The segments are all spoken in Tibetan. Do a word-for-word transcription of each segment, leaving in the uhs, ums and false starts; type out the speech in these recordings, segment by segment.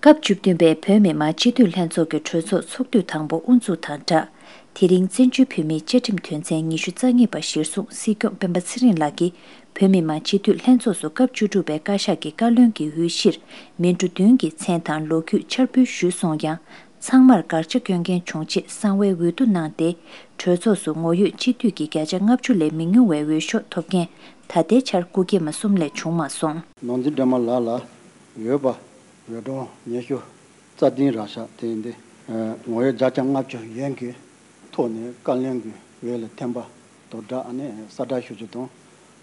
སྐབས་བཅུ་བདུན་པའི་བོད་མི་མང་སྤྱི་འཐུས་ལྷན་ཚོགས་ཀྱི་གྲོས་ཚོགས་ཚོགས་དུས་དང་པོ་དབུ་འཛུགས་དང་སྦྲགས། དེ་རིང་བཙན་བྱོལ་བོད་མིའི་བཅའ་ཁྲིམས་དོན་ཚན་ཉི་ཤུ་རྩ་གཉིས་པ་གཞིར་བཟུང་སྲིད་སྐྱོང་སྤེན་པ་ཚེ་རིང་ལགས་ཀྱིས་བོད་མི་མང་སྤྱི་འཐུས་ལྷན་ཚོགས་སུ་སྐབས་བཅུ་དྲུག་པའི་བཀའ་ཤག་གི་བཀའ་བློན་གྱི་འོས་གཞིར་མི་འགྲོ་བདུན་གྱི་མཚན་དང་ལོ་རྒྱུས་འཆར་འབུལ་ཞུས་སོང་ཡང་། ཚང་མར་དགག་བྱ་སྐྱོན་མཁན་བྱུང་རྗེས་གསང་བའི་འོས་བསྡུ་གནང་སྟེ། གྲོས་ཚོགས་སུ་ངོ་ཡོད་སྤྱི་འཐུས་ཀྱི་བརྒྱ་ཆ་ལྔ་བཅུ་ལས་མི་ཉུང་བའི་འོས་ཤོག་ཐོབ་མཁན་ད་ལྟའི་ཆར་སྐུ་སྐྱེས་མ་གསུམ་ལས་བྱུང་མ་སོང་། ནོར་འཛིན་སྒྲོལ་མ་ལགས་ལ་འོས་པ་འོས་གྲངས་ཉི་ཤུ་རྩ་བདུན་རག་ཤག་དེ་ཡིན་དུས། ངོ་ཡོད་བརྒྱ་ཆ་ལྔ་བཅུ་ཡན་གྱི་ཐོག་ནས་བཀའ་བློན་གྱི་འོས་ལ་འཐེན་པ་དང་སྦྲགས་ཨ་ནི་གསལ་བསྒྲགས་ཞུ་རྒྱུ་དང་།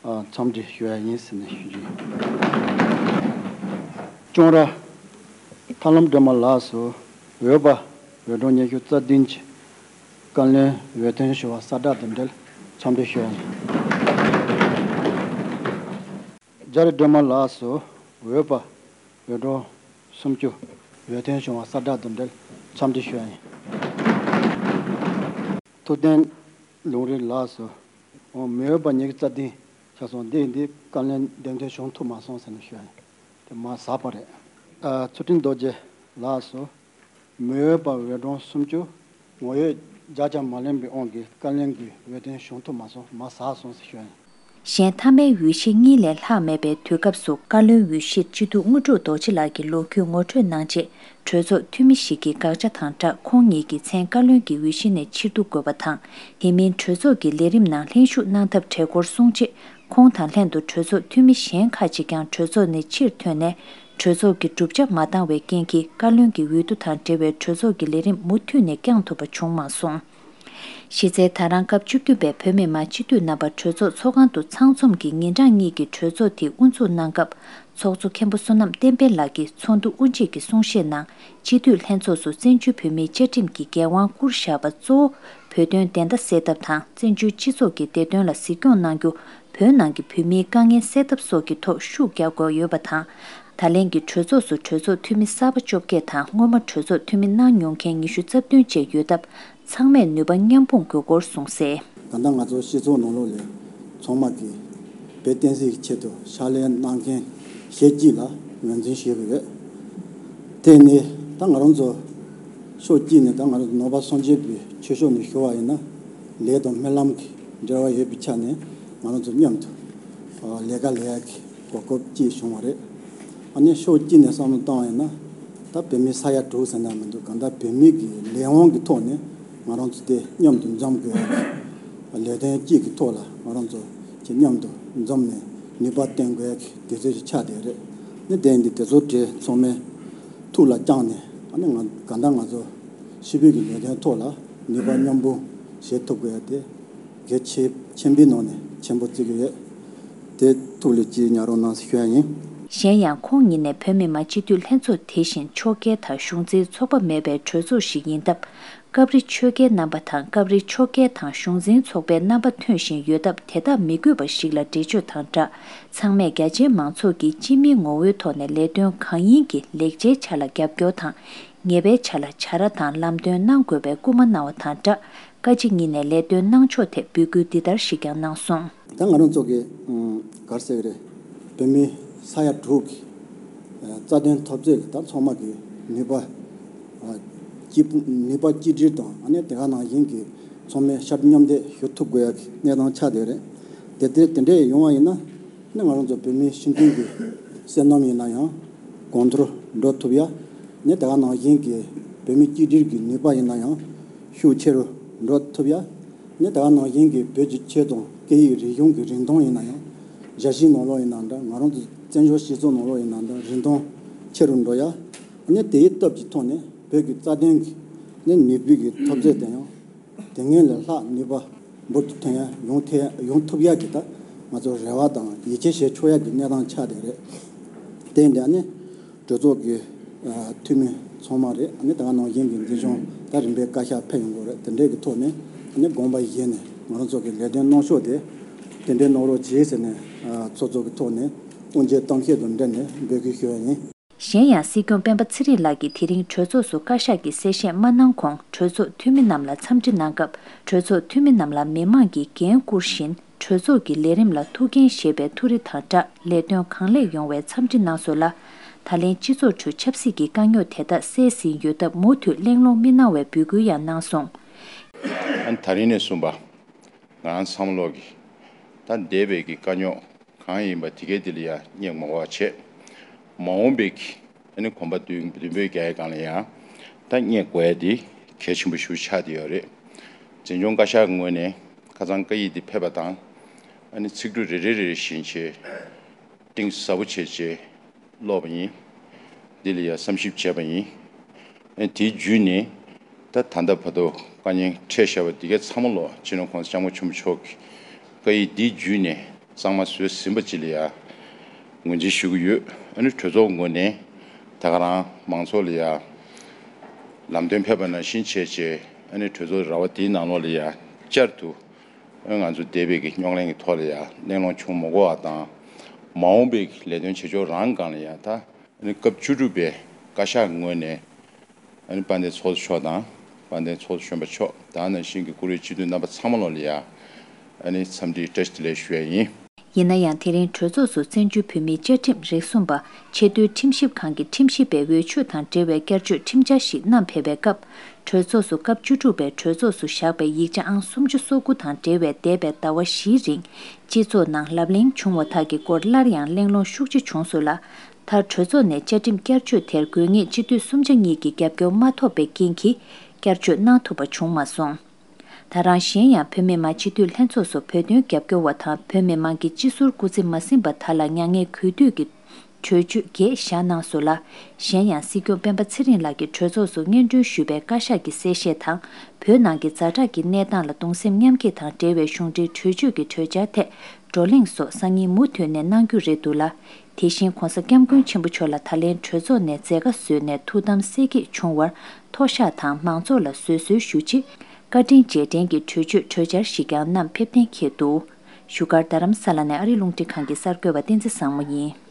ཨ། འཚམས་འདྲི་ཞུ་ཡ་ཡིན་ཟེར་ནས་ཞུ་རྒྱུ་ཡིན། ལྕང་ར་ཐར་ལམ་སྒྲོལ་མ་ལགས་སུ་འོས་པ་འོས་གྲངས་ཉི་ཤུ་རྩ་བདུན་གྱི་བཀའ་བློན་འོས་ཐོན་ཞུ་བ་གསལ་བསྒྲགས་དང་འབྲེལ་འཚམས་འདྲི་ཞུ་ཡ་ཡིན། རྒྱ་རི་སྒྲོལ་མ་ལགས་སུ་འོས་པ་འོས་གྲངས་སུམ་ཅུ་འོས་ཐོན་བྱུང་བ་གསལ་བསྒྲགས་དང་འབྲེལ་འཚམས་འདྲི་ཞུ་ཡ་ཡིན། ཐུབ་བསྟན་ལུང་རིགས་ལགས་སུ། འོ། མི་འོས་པ་ཉི་ཤུ་རྩ་བདུན་ཆགས་སོང་། འདི་འདི་བཀའ་བློན་འདེམས་ཐོན་བྱུང་ཐུབ་མ་སོང་ཟེར་ནས་ཞུ་ཡ་ཡིན། དེ་མ་ཟག་པ་རེད། ཨ། ཚུལ་ཁྲིམས་རྡོ་རྗེ་ལགས་སུ། མི་འོས་པ་འོས་གྲངས་སུམ་ཅུ། ངོ་ཡོད་བརྒྱ་ཆ་མ་ལོན་པའི་དབང་གིས་བཀའ་བློན་གྱི་འོས་ཐོན་བྱུང་ཐུབ་མ་སོང་། མ་ཟག་སོང་ཟེར་ཞུ་ཡ་ཡིན། གཞན་མཐའ་མའི་འོས་གཞི་གཉིས་ལས་ལྷག་མེད་པའི་དུས་སྐབས་སུ་བཀའ་བློན་འོས་གཞིར་སྤྱི་འཐུས་དངོས་གྲུབ་རྡོ་རྗེ་ལགས་ཀྱི་ལོ་རྒྱུས་ངོ་སྤྲོད་གནང་རྗེས། གྲོས་ཚོགས་འཐུས་མི་ཞིག་གིས་དགག་བྱ་དང་སྦྲགས་ཁོང་ཉིད་ཀྱི་མཚན་བཀའ་བློན་གྱི་འོས་གཞི་ནས་ཕྱིར་བསྡུ་དགོས་པ་དང་། དེ་མིན་གྲོས་ཚོགས་ཀྱི་ལས་རིམ་ནང་ལྷན་ཞུགས་གནང་ཐབས་བྲལ་སྐོར་གསུངས་རྗེས། ཁོང་དང་ལྷན་དུ་གྲོས་ཚོགས་འཐུས་མི་གཞན་ཁག་ཅིག་ཀྱང་གྲོས་ཚོགས་ནས་ཕྱིར་ཐོན་ནས། གྲོས་ཚོགས་ཀྱི་གྲུབ་ཆ་མ་འདང་བའི་རྐྱེན་གྱིས། བཀའ་བློན་གྱི་འོས་བསྡུ་དང་འབྲེལ་བའི་གྲོས་ཚོགས་ཀྱི་ལས་རིམ་མུ་མཐུད་ནས་བསྐྱང་ཐུབ་པ་བྱུང་མ་སོང་། གཞི་རྩའི་ད་རང་སྐབས་བཅུ་བདུན་པའི་བོད་མི་མང་སྤྱི་འཐུས་རྣམ་པ་གྲོས་ཚོགས་ཚོགས་ཁང་དུ་ཚང་འཛོམས་ཀྱིས་ཉིན་གྲངས་གཉིས་ཀྱི་གྲོས་ཚོགས་དེ་དབུ་འཛུགས་གནང་སྐབས། ཚོགས་གཙོ་མཁན་པོ་བསོད་ནམས་བསྟན་འཕེལ་ལགས་ཀྱིས་ཚོགས་འདུ་དབུ་འབྱེད་ཀྱི་གསུང་བཤད་ནང་། སྤྱི་འཐུས་ལྷན་ཚོགས་སུ་བཙན་བྱོལ་བོད་མིའི་བཅའ་ཁྲིམས་ཀྱི་འགན་དབང་བསྐུར་བཞག་པ་གཙོ་བོ་བོད་དོན་བདེན་མཐའ་གསལ་ཐབས་དང་། བཙན་བྱོལ་སྤྱི་ཚོགས་ཀྱི་བདེ་དོན་ལ་གཟིགས་སྐྱོང་གནང་རྒྱུ། བོད་ནང་གི་བོད་མིའི་དཀའ་ངལ་སེལ་ཐབས་སོགས་ཀྱི་ཐོག་ཤུགས་རྒྱག་དགོས་ཡོད་པ་དང་། ད་ལན་གྱི་གྲོས་ཚོགས་སུ་གྲོས་ཚོགས་འཐུས་མི་གསར་པ་བཅོ་བརྒྱད་དང་། སྔོན་མ་གྲོས་ཚོགས་འཐུས་མི་གནང་མྱོང་མཁན་ཉི་ཤུ་རྩ་བདུན་བཅས་ཡོད་སྟབས། ཚང་མས་ནུས་པ་མཉམ་སྤུངས་དགོས་སྐོར་གསུངས་གསལ། ད་ལྟ་ང་ཚོ་སྤྱི་ཚོགས་ནང་ལོགས་ལ་ཚང་མ་གིས་བོད་བསྟན་སྲིད་ཀྱི་ཆེད་དུ་ཕྱག་ལས་གནང་མཁན་ཞེ་གཅིག་ལ་ངོས་འཛིན་ཞུ་གི་ཡོད། དེ་ནས་ད་ང་རང་ཚོ་ཕྱོགས་གཅིག་ནས་ད་ང་རང་ཚོ་ནང་པ་སངས་རྒྱས་པའི་ཆོས་ཕྱོགས་ནས་ཞུ་བ་ཡིན་ན། ལས་དང་སྨོན་ལམ་གྱི་འབྲེལ་བ་ཡོད་པའི་ཆ་ནས་ང་རང་ཚོ་མཉམ་དུ་ལས་ཀ་ལས་ཡག་གི་གོ་སྐབས་ཅིག་བྱུང་བ་རེད། ཨ་ནི་ཕྱོགས་གཅིག་ནས་བསམ་བློ་བཏང་བ་ཡིན་ན། ད་བོད་མི་ས་ཡ་དྲུག་ཟེར་ན་མི་འདུག་གང་ལྟར་བོད་མི་གི་ལས་དབང་གི་ཐོག་ནས་ང་རང་ཚོ་དེ་མཉམ་དུ་འཛོམས་དགོས་ཡག་གི་ལས་དོན་གཅིག་གི་ཐོག་ལ་ང་རང་ཚོ་ཅིག་མཉམ་དུ་འཛོམས་ནས་ནུས་པ་བཏོན་དགོས་ཡག་གི་དུས་ཚོད་ཅིག་ཆགས་བསྡད་རེད། ནི་དེ་འདི་དེ་ཚོ་གྲས་ཚང་མས་ཐུགས་ལ་བཅངས་ནས། ཨ་ནི་ང་གང་ལྟར་ང་ཚོ་ཕྱི་པོད་ཀྱི་ལས་དོན་ཐོག་ལ་ནུས་པ་མཉམ་སྤུངས་བྱེད་ཐུབ་དགོས་ཡག་དེ། གལ་ཆེ་ཆེན་པོའི་ནང་ནས་ཆེན་པོ་བརྩི་གི་ཡོད། དེ་ཐུགས་ལ་ཅིག་ཉར་རོགས་གནང་ཟེར་ཞུ་ཡ་ཡིན། གཞན་ཡང་ཁོང་ཉིད་ནས་བོད་མི་མང་སྤྱི་འཐུས་ལྷན་ཚོགས་དེ་བཞིན་ཕྱོགས་འགལ་དང་གཞུང་འཛིན་ཚོགས་པ་མེད་པའི་གྲོས་ཚོགས་ཤིག་ཡིན་སྟབས། སྐབས་རེ་ཆོལ་ཁའི་རྣམ་པ་དང་སྐབས་རེ་ཕྱོགས་འགལ་དང་གཞུང་འཛིན་ཚོགས་པའི་རྣམ་པ་ཐོན་བཞིན་ཡོད་སྟབས། དེ་དག་མི་དགོས་པ་ཞིག་ལ་འགྲེལ་བརྗོད་དང་སྦྲགས། ཚང་མས་རྒྱ་ཆེའི་མང་ཚོགས་ཀྱིས་སྤྱི་མིའི་ངོ་བོའི་ཐོག་ནས་ལས་དོན་གང་ཡིན་གྱི་ལེགས་ཆའི་ཆ་ལ་རྒྱབ་སྐྱོར་དང་། ཉེས་པའི་ཆ་ལ་བྱ་ར་དང་ལམ་སྟོན་གནང་དགོས་པའི་སྐུལ་མ་གནང་བ་དང་སྦྲགས། བཀའ་སྤྱི་གཉིས་ནས་ལས་དོན་གནང་ཕྱོགས་ཐད་འབོད་སྐུལ་འདི་ལྟར་ཞིག་ཀྱང་གནང་སོང་། ད་ང་རང་ཚོ་གི་ཨུམ་ག་རེ་ཟེར་གི་རེད། བོད་མི་ས་ཡ་དྲུག་གི་ཨ་རྩ་དོན་འཐབ་རྩོད་ལ་ད་ཚང་མ་གི་ནུས་པ་ཨ་གཅིག་པུ་ནུས་པ་གཅིག་སྒྲིལ་དང་། ཨ་ནི་དེ་ག་ནང་བཞིན་གི་ཚང་མས་ཤར་མཉམ་འདེགས་ཞུ་ཐུབ་དགོས་ཡག་གི་གནས་སྟངས་ཆགས་བསྡད་རེད། དེ་དེ་དེ་འདྲས་ཡོང་བ་ཡིན་ན། ནི་ང་རང་ཚོ་བོད་མིའི་སྤྱི་མཐུན་གྱི་བསོད་ནམས་ཡིན་ན་ཡང་གོང་མཐོར་འགྲོ་ཐུབ་ཡ། ནི་དེ་ག་ནང་བཞིན་གྱི་བོད་མི་གཅིག་སྒྲིལ་གྱི་ནུས་པ་ཡིན་ན་ཡང་ཤུགས་ཆེ་རུ་འགྲོ་ཐུབ་ཡ། ནི་དེ་ག་ནང་བཞིན་གྱི་བོད་ཀྱི་ཆོས་དང་སྐད་ཡིག་རིག་གཞུང་གི་རིན་ཐང་ཡིན་ན་ཡང་། རྒྱལ་སྤྱིའི་ནང་ལོགས་ཡིན་ན་འདྲ། ང་རང་ཚོ་བཙན་བྱོལ་སྤྱི་ཚོགས་ནང་ལོགས་ཡིན་ན་འདྲ། རིན་ཐང་ཆེ་རུ་འགྲོ་ཡ། ནི་དེའི་སྟོབས་ཀྱི་ཐོག་ནས་བོད་ཀྱི་རྩ་དོན་གྱི་ནི་ནུས་པའི་གི་འཐབ་རྩོད་དེ་ཡང་། དེ་སྔོན་ལས་ལྷག་ནུས་པ་འབུར་དུ་ཐོན་ཡ་ཡོང་ཐེ་ཡོང་ཐུབ་ཡ་གི་ད་ང་ཚོ་རེ་བ་དང་ཡིད་ཆེས་བྱེད་ཆོག་ཡ་གི་གནས་སྟངས་ཆགས་བསྡད་རེད། དེ་འདྲ་ནི་གྲོས་ཚོགས་ཀྱི་ཨ་འཐུས་མི་ཚང་མ་རེད། ཨ་ནི་ད་ག་ནང་བཞིན་གྱི་འཛིན་སྐྱོང་ད་རིམ་པས་བཀའ་ཤག་ཕེབས་ཡོང་གི་རེད། དེ་འདྲའི་གི་ཐོག་ནས་ཨ་ནི་དགོངས་པ་བཞེས་ནས་ང་རང་ཚོ་གི་ལས་དོན་གནང་ཕྱོགས་དེ་དེ་འདྲའི་གནང་རོགས་གྱིས་ཟེར་ནས་ཨ་ཚོགས་གཙོ་གི་ཐོག་ནས་དབུ་འབྱེད་གཏམ་བཤད་དང་འབྲེལ་ནས་འབོད་སྐུལ་ཞུ་ཡ་ཡིན། གཞན་ཡང་སྲིད་སྐྱོང་སྤེན་པ་ཚེ་རིང་ལགས་ཀྱིས་དེ་རིང་གྲོས་ཚོགས་སུ་བཀའ་ཤག་གིས་གསལ་བཤད་མ་གནང་གོང་། གྲོས་ཚོགས་འཐུས་མི་རྣམས་ལ་འཚམས་འདྲི་གནང་སྐབས། གྲོས་ཚོགས་འཐུས་མི་རྣམས་ལ་མི་མང་གིས་འགན་བསྐུར་བཞིན། གྲོས་ཚོགས་ཀྱི་ལས་རིམ་ལ་ཐུགས་འགན་བཞེས་པའི་ཐུགས་རེ་དང་སྦྲགས། ལས་དོན་གང་ལེགས་ཡོང་བའི་འཚམས་འདྲི་གནང་སོང་ལ། ད་ལན་སྤྱི་ཚོགས་ཁྲོད་ཆབ་སྲིད་ཀྱི་དཀའ་རྙོག་དེ་དག་སེལ་ཟིན་ཡོད་སྟབས་མུ་མཐུད་གླེང་སློང་མི་གནང་བའི་འབོད་སྐུལ་ཡང་གནང་སོང་། ཨ་ནི་ད་རིང་ནས་བཟུང་པ། ང་རང་ཚང་མ་ལོག་གི་ད་འདས་པའི་གི་དཀའ་རྙོག་གང་ཡིན་པ་དེ་གའི་དེ་ལ་ཡང་སྙེག་མ་དགོས་པ་བྱས། མ་འོངས་པའི་གི་ཨ་ནི་གོམ་པ་མདུན་མདུན་སྤོས་རྒྱག་ཡའི་སྒང་ལ་ཡང་ད་སྙེག་དགོས་ཡ་དེ་གལ་ཆེན་པོ་ཞིག་ཆགས་བསྡད་ཡོད་རེད། འཛིན་སྐྱོང་བཀའ་ཤག་གི་ངོས་ནས་ཁ་སང་བཀའ་ཡིག་འདི་ཕེབས་པ་དང་། ཨ་ནི་ཚིག་འབྲུ་རེ་རེ་རེ་རེ་བཞིན་བྱས། གཏིང་ཟབ་པོ་བྱས་བྱས་ཀློག་པ་ཡིན། འདི་ལ་ཡང་བསམ་ཞིབ་བྱས་པ་ཡིན། ཨ་ནི་དེའི་བརྒྱུད་ནས་ད་ད་ལྟ་བར་དུ་དཀའ་ཉེན་འཕྲད་བཞག་པ་འདི་གའི་ཚང་མ་ལོ་སྤྱི་ནོར་༸གོང་ས་༸སྐྱབས་མགོན་ཆེན་པོ་མཆོག་གི་བཀའ་ཡིག་འདིའི་བརྒྱུད་ནས་གཙང་མ་བཟོས་ཟིན་པ་ཅིག་ལ་ཡང་ངོས་འཛིན་ཞུ་གི་ཡོད། ཨ་ནི་གྲོས་ཚོགས་ངོས་ནས་ད་ག་རང་མང་ཚོགས་ལ་ཡང་ལམ་སྟོན་ཕེབས་པ་ནང་བཞིན་བྱས་བྱས་ཨ་ནི་གྲོས་ཚོགས་ར་བ་དེའི་ནང་ལོགས་ལ་ཡང་བསྐྱར་དུ། ང་ཚོ་འདས་པའི་གི་རྙོག་གླེང་གི་ཐོག་ལ་ཡང་གླེང་སློང་བྱུང་མ་དགོས་པ་དང་། མ་འོངས་པའི་གི་ལས་དོན་བྱེད་ཕྱོགས་རང་སྒང་ལ་ཡང་ད་ཨ་ནི་སྐབས་བཅུ་དྲུག་པའི་བཀའ་ཤག་ངོས་ནས་ཨ་ནི་དཔལ་ལྡན་ཚོགས་གཙོ་མཆོག་དང་དཔལ་ལྡན་ཚོགས་གཙོ་གཞོན་པ་མཆོག་དེ་ནང་བཞིན་གྱི་བཀུར་འོས་སྤྱི་འཐུས་རྣམ་པ་ཚང་མ་ལོག་ལ་ཡང་ཨ་ནི་འཚམས་འདྲི་བཀྲ་ཤིས་བདེ་ལེགས་ཞུ་ཡ་ཡིན། ཡིན་ན་ཡང་དེ་རིང་གྲོས་ཚོགས་སུ་བཙན་བྱོལ་བོད་མིའི་བཅའ་ཁྲིམས་རིགས་གསུམ་པ་ཆེས་མཐོའི་ཁྲིམས་ཞིབ་ཁང་གི་ཁྲིམས་ཞིབ་པའི་འོས་ཆོས་དང་འབྲེལ་བའི་བསྐྱར་བཅོས་ཁྲིམས་འཆར་ཞིག་བསྣམས་ཕེབས་པའི་སྐབས། གྲོས་ཚོགས་སུ་སྐབས་བཅུ་དྲུག་པའི་གྲོས་ཚོགས་སུ་བཞག་པའི་ཡིག་ཆ་ཨང་སུམ་ཅུ་སོ་དགུ་དང་འབྲེལ་བའི་འདས་པའི་ཟླ་བ་བཞིའི་རིང་སྤྱི་ཚོགས་ནང་ལབ་གླེང་བྱུང་བ་དག་གི་སྐོར་སླར་ཡང་གླེང་སློང་ཤུགས་ཆེ་བྱུང་སོང་ལ། མཐར་གྲོས་ཚོགས་ནས་བཅའ་ཁྲིམས་བསྐྱར་བཅོས་དེར་དགོས་ངེས་སྤྱི་འཐུས་སུམ་ཆ་གཉིས་ཀྱི་རྒྱབ་སྐྱོར་མ་ཐོབ་པའི་རྐྱེན་གྱིས་བསྐྱར་བཅོས་གནང་ཐུབ་པ་བྱུང་མ་སོང་། ད་རང་གཞན་ཡང་བོད་མི་མང་སྤྱི་འཐུས་ལྷན་ཚོགས་སུ་བོད་དོན་རྒྱབ་སྐྱོར་བ་དང་བོད་མི་མང་གི་སྤྱི་ཟུར་སྐུ་ཚེ་མ་ཟིན་པ་དག་ལ་མྱ་ངན་གུས་འདུད་ཀྱི་གྲོས་ཆོད་བརྒྱད་བཞག་གནང་སོང་ལ། གཞན་ཡང་སྲིད་སྐྱོང་སྤེན་པ་ཚེ་རིང་ལགས་ཀྱིས་གྲོས་ཚོགས་སུ་སྙན་སྒྲོན་ཞུས་པའི་བཀའ་ཤག་གི་གསལ་བཤད་དང་། བོད་ནང་གི་ཛ་དྲག་གི་གནས་སྟངས་ལ་གདུང་སེམས་མཉམ་སྐྱེད་དང་འབྲེལ་བའི་གཞུང་འབྲེལ་གྲོས་ཆོད་ཀྱི་གྲོས་འཆར་ཐད་བགྲོ་གླེང་སོགས་སང་ཉིན་མུ་མཐུད་ནས་གནང་རྒྱུ་རེད་འདུག་ལ། དེ་བཞིན་༸གོང་ས་༸སྐྱབས་མགོན་ཆེན་པོ་མཆོག་ལ་ད་ལན་གྲོས་ཚོགས་ནས་མཛད་དཀའ་བཟོས་ནས་ཐུགས་དམ་གསལ་སྐྱེད་བྱུང་བར་མཐོ་བཤགས་དང་མང་ཚོགས་ལ་བཟོད་གསོལ་ཞུ་ཆེད། བཀའ་དྲིན་རྗེས་དྲན་གྱི་གྲོས་ཆོད་གྲོས་འཆར་ཞིག་ཀྱང་བསྣམས་ཕེབས་གཏན་འཁེལ་འདུག་བཞུགས་སྒར་རྡ་རམ་ས་ལ་ནས་ཨ་རི་རླུང་འཕྲིན་ཁང་གི་གསར་འགོད་པ་བསྟན་འཛིན་བཟང་མོ་ཡིན།